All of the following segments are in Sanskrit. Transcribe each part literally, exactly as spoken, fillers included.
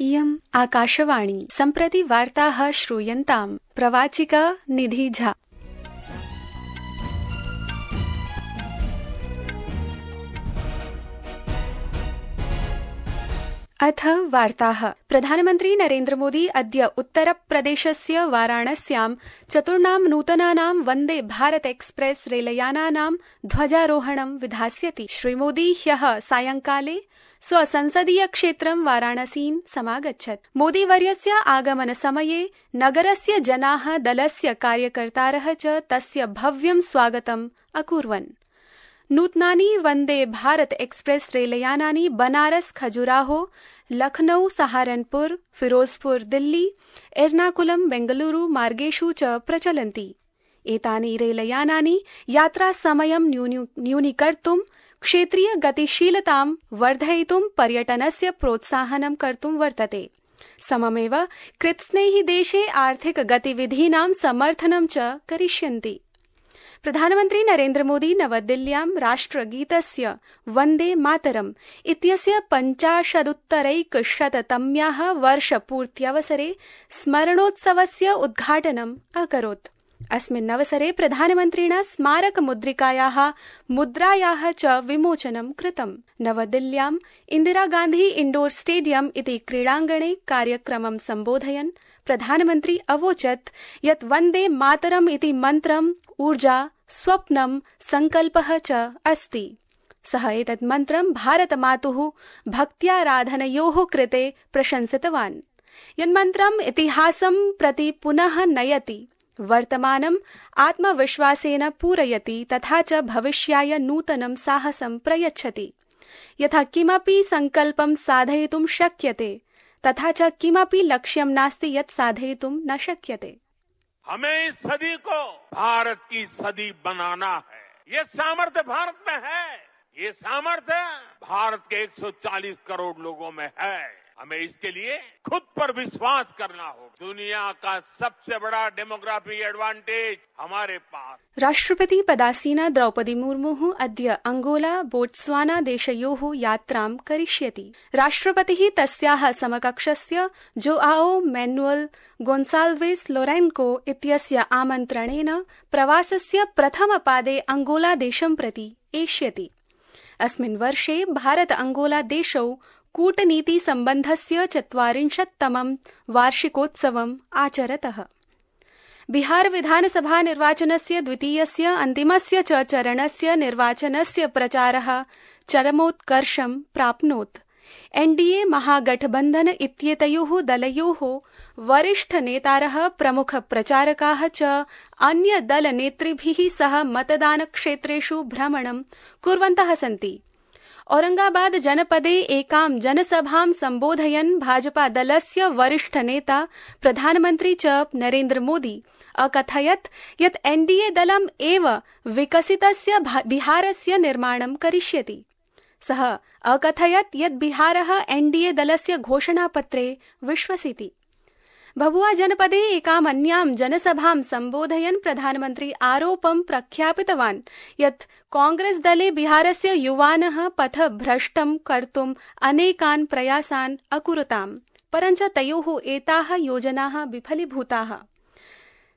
इयम् आकाशवाणी। सम्प्रति वार्ताः श्रूयन्ताम्। प्रवाचिका निधि झा। अथ वार्ताः। प्रधानमन्त्री नरेन्द्र मोदी अद्य उत्तरप्रदेशस्य वाराणस्यां चतुर्णां नूतनानां वन्दे भारत एक्सप्रेस रेलयानानां ध्वजारोहणं विधास्यति। श्रीमोदी ह्यः सायंकाले स्वसंसदीय क्षेत्रं वाराणसीं समागच्छत्। मोदीवर्यस्य आगमनसमये नगरस्य जनाः, दलस्य कार्यकर्तारः च तस्य भव्यं स्वागतम् अकुर्वन्। नूतनानि वन्दे भारत एक्सप्रेस रेलयानानि बनारस, खजुराहो, लखनऊ, सहारनपुर, फिरोजपुर, दिल्ली, एर्नाकुलम, बेंगलुरु मार्गेषु च प्रचलन्ति। एतानि रेलयानानि यात्रासमयं न्यूनीकर्तुं, क्षेत्रीय गतिशीलतां वर्धयितुं, पर्यटनस्य प्रोत्साहनं कर्तुं वर्तते। सममेव कृतस्नेहिदेशे आर्थिक गतिविधीनां समर्थनं च करिष्यन्ति। प्रधानमन्त्री नरेन्द्र मोदी नवदिल्ल्यां राष्ट्रगीतस्य वन्दे मातरम् इत्यस्य पञ्चाशदुत्तरैकशततम्याः वर्षपूर्त्यवसरे स्मरणोत्सवस्य उद्घाटनम् अकरोत्। अस्मिन्नवसरे प्रधानमन्त्रिणा स्मारकमुद्रिकायाः मुद्रायाः च विमोचनं कृतम्। नवदिल्ल्याम् इन्दिरागान्धी इण्डोर स्टेडियम इति क्रीडाङ्गणे कार्यक्रमं सम्बोधयन् प्रधानमन्त्री अवोचत् यत् वन्दे मातरम् इति मन्त्रम् ऊर्जा, स्वप्नं, संकल्पः च अस्ति। सः एतत् मन्त्रं भारतमातुः भक्त्याराधनयोः कृते प्रशंसितवान्। यन्मन्त्रम् इतिहासं प्रति पुनः नयति, वर्तमानम् आत्मविश्वासेन पूरयति तथा च भविष्याय नूतनं साहसं प्रयच्छति। यथा किमपि संकल्पं साधयितुं शक्यते तथा च किमपि लक्ष्यं नास्ति यत् साधयितुं न शक्यते। हमें इस सदी को भारत की सदी बनाना है। ये सामर्थ्य भारत में है। ये सामर्थ्य भारत के एक सौ चालीस करोड़ लोगों में है। हमें इसके लिए खुद पर विश्वास करना होगा। दुनिया का सबसे बड़ा डेमोग्राफिक एडवांटेज हमारे पास। राष्ट्रपति पदासीना द्रौपदी मुर्मुः अद्य अंगोला, बोट्स्वाना देशयोः यात्रां करिष्यति। राष्ट्रपतिः तस्याः समकक्षस्य जोआओ मैनुअल गोन्साल्वेस लोरेन्को इत्यस्य आमन्त्रणेन प्रवासस्य प्रथमपादे अंगोला देशं प्रति एष्यति। अस्मिन् वर्षे भारत अंगोला देशौ कूटनीति सम्बन्धस्य चत्वारिंशत्तमं वार्षिकोत्सवम् आचरतः। बिहार विधानसभा निर्वाचनस्य द्वितीयस्य अन्तिमस्य च चरणस्य निर्वाचनस्य प्रचारः चरमोत्कर्षं प्राप्नोत्। एनडीए महागठबन्धन इत्येतयोः दलयोः वरिष्ठनेतारः, प्रमुख प्रचारकाः च अन्यदलनेतृभिः सह मतदानक्षेत्रेषु भ्रमणं कुर्वन्तः सन्ति। औरंगाबाद जनपदे एकां जनसभां सम्बोधयन् भाजपा दलस्य वरिष्ठनेता प्रधानमन्त्री च नरेन्द्र मोदी अकथयत् यत् एनडीए दलम् एव विकसितस्य बिहारस्य निर्माणं करिष्यति। सः अकथयत् यत् बिहारः एनडीए दलस्य घोषणापत्रे विश्वसिति। भभुआ जनपदे एकाम् अन्यां जनसभां सम्बोधयन् प्रधानमन्त्री आरोपं प्रख्यापितवान् यत् कांग्रेस दले बिहारस्य युवानः पथभ्रष्टं कर्तुम् अनेकान् प्रयासान् अकुरुताम्, परञ्च तयोः एताः योजनाः विफलीभूताः।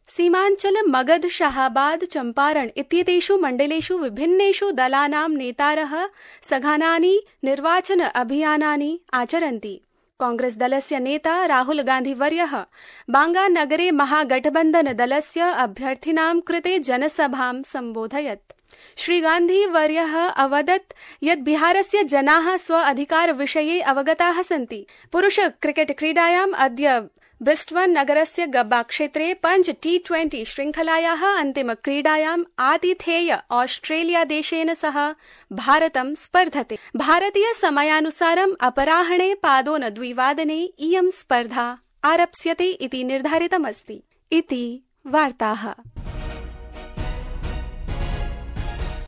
सीमाञ्चल, मगध, शाहाबाद, चम्पारण इत्येतेषु मण्डलेषु विभिन्नेषु दलानां नेतारः सघनानि निर्वाचन अभियानानि आचरन्ति। कांग्रेस दलस्य नेता राहुल गांधी वर्यः बांगानगरे महागठबन्धन दलस्य अभ्यर्थिनां कृते जनसभां सम्बोधयत्। श्री गांधी वर्यः अवदत् यत् बिहारस्य जनाः स्व अधिकारविषये अवगताः सन्ति। पुरुष क्रिकेट क्रीडायाम् अद्य ब्रिस्बेन् नगरस्य गब्बा क्षेत्रे पञ्च टी ट्वेंटी श्रृंखलायाः अन्तिमक्रीडायाम् आतिथेय ऑस्ट्रेलिया देशेन सह भारतं स्पर्धते। भारतीय समयानुसारम् अपराह्णे पादोन द्विवादने इयं स्पर्धा आरप्स्यते इति निर्धारितमस्ति। इति वार्ताः।